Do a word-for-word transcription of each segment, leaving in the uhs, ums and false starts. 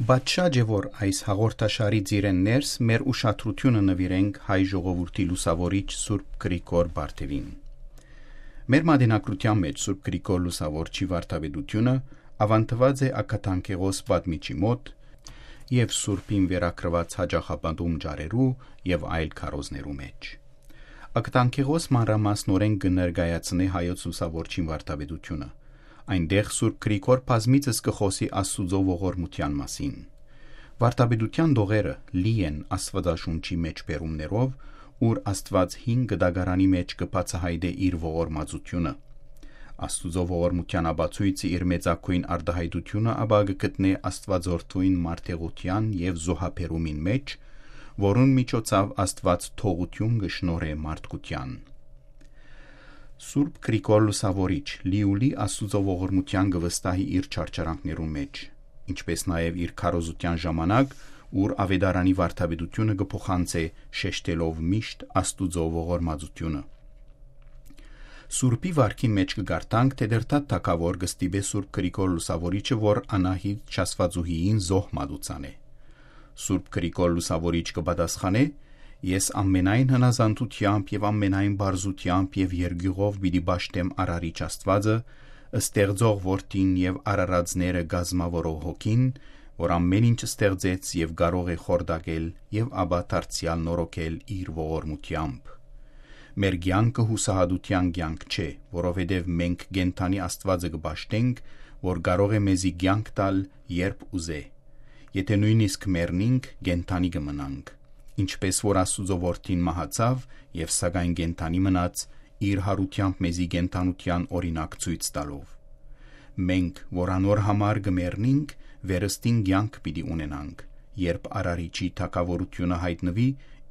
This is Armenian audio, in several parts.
Բայց շատ է, որ այս հաղորդաշարից իրեն ներս մեր ուշադրությունը նվիրենք հայ ժողովրդի լուսավորիչ Սուրբ Գրիգոր Բարթևին։ Մեր մատենագրության մեջ Սուրբ Գրիգոր Լուսավորչի վարդապետությունը ավանդված է Աքաթանքեղոս պատմիչի մոտ եւ Սուրբին վերակրված հաջախապատում ջարերու եւ այլ քարոզներու մեջ։ Աքաթանքեղոս մանրամասնորեն կներկայացնի հայոց լուսավորչին վարդապետությունը։ Այնտեղ Սուրբ Գրիգոր բազմիցս կխոսի Աստուծո ողորմության մասին։ Վարդապետության դողերը լի են Աստվածաշունչի մեջ բերումներով, ուր Աստված հին գդագարանի մեջ կբացահայտե իր ողորմածությունը։ Աստուծո ողորմության ապացույցը իր մեծակույն արտահայտությունը ապա կգտնե Աստվածորդուին մարդեղության եւ զոհաբերումին մեջ, որուն միջոցով Աստված թողություն կշնորհե մարդկության։ Սուրբ Գրիգոր Լուսավորիչ լիուլի Աստուծո ողորմության գվստահի իր չարչարանքներուն մեջ, ինչպես նաև իր քարոզության ժամանակ, ուր ավետարանի վարդապետությունը կփոխանցե շեշտելով միշտ Աստուծո ողորմածությունը։ Սուրբի վարքի մեջ կգարտանք, թե դերտատ թակավոր կստիպե Սուրբ Գրիգոր Լուսավորիչը, որ Անահիտ Չասվածուհիին զոհ մատուցանե։ Սուրբ Գրիգոր Լուսավորիչ կպատասխանե. Ես ամենայն հնազանդությամբ եւ ամենայն բարձությամբ եւ երգյուղով պիտի բաշտեմ Արարիչ Աստվածը, ստեղծող որդին եւ արարածները գազմավորող հոգին, որ ամեն ինչ ստեղծեց եւ կարող է խորդակել եւ ապա դարձյալ նորոգել իր ողորմությամբ։ Մեր կյանքը հուսահատության կյանք չէ, որովհետեւ մենք կենթանի Աստվածը կբաշտենք, որ կարող է մեզի կյանք տալ, երբ ուզե։ Եթե նույնիսկ մեռնենք, կենթանի կմնանք։ Ինչպես որ Աստուծո որդին մահացավ եւ սակայն կենթանի մնաց, իր հարությամբ մեզի կենթանության օրինակ ցույց տալով։ Մենք, որ անոր համար կմեռնենք, վերստին կյանք պիտի ունենանք, երբ Արարիչի թակավորությունը հայտնվի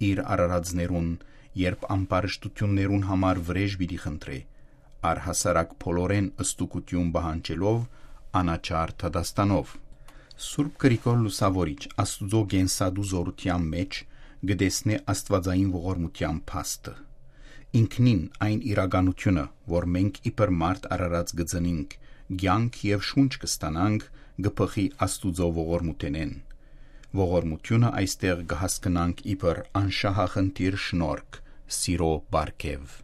իր արարածներուն, երբ ամբարշտություններուն համար վրեժ պիտի խնդրե, առհասարակ փոլորեն ըստուկություն բանջելով, անաչար թադաստանով։ Սուրբ Գրիգոր Լուսավորիչ Աստուծո գենսադու զորության մեջ գտեսնե Աստվածային ողորմության փաստը։ Ինքնին այն իրականությունը, որ մենք իբր մարդ արարած գծնենք, կյանք եւ շունչ կստանանք, գփխի Աստուծո ողորմութենեն։ Ողորմությունը այստեղ կհասկնանք իբր անշահախնդիր շնորհք, սիրո բարգև։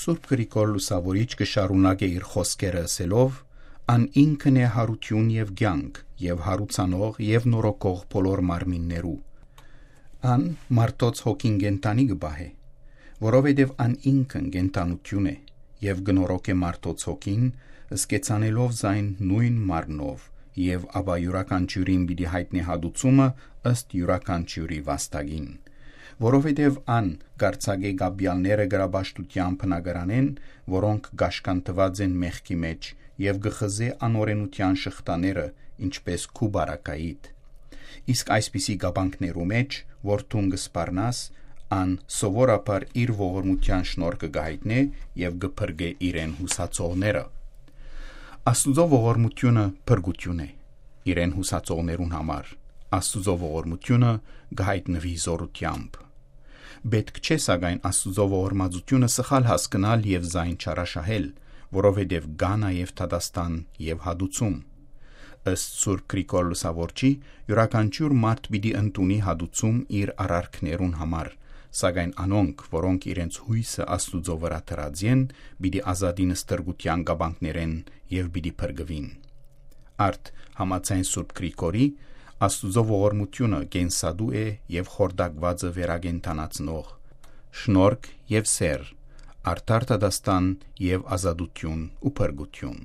Սուրբ Գրիգոր Լուսավորիչ կշարունակե իր խոսքերը ասելով. Ան ինքն է հարություն եւ կյանք, եւ հարուցանող եւ նորոգող բոլոր մարմիններու։ Ան մարդոց հոգին գենտանի կբահե, որովհետև ան ինքն գենտանություն է եւ գնորոք է մարդոց հոգին, սկեցանելով զայն նույն մարմնով եւ ապա յուրաքանչյուրին պիտի հայտնի հատուցումը ըստ յուրաքանչյուրի վաստակին, որովհետև ան գարցագե գաբյալները գրաբաշտության բնագրանեն, որոնք գաշկանտված են մեղքի մեջ եւ գխզե անօրենության շղթաները, ինչպես քուբարակայիտ։ Իսկ այսպիսի գաբանքներու մեջ, որ թուն կսպառնաս, ան սովորաբար իր ողորմության շնորհքը գահիտնե եւ գփրկե իրեն հուսացողները։ Աստուծո ողորմությունը փրկություն է իրեն հուսացողներուն համար։ Աստուծո ողորմությունը գահիտնվի զորությամբ։ Պետք չէ սակայն Աստուծո ողորմածությունը սխալ հասկանալ եւ զայն չարաշահել, որովհետեւ գա նաեւ թադաստան եւ հադուցում։ Ըստ Սուրբ Գրիգոր Լուսավորչի, յուրաքանչյուր մարդ պիտի ընդունի հադուցում իր արարքներուն համար, սակայն անոնք, որոնք իրենց հույսը Աստուծո վրա դրած են, պիտի ազատին ստրգության գաբանքներեն եւ պիտի փրկվին։ Արդ համաձայն Սուրբ Գրիգորի, Աստուծո ողորմությունը գենսադու է եւ խորդակվածը վերագենթանացնող, շնորհք եւ սեր, արդար դաստան եւ ազատություն ու փրկություն։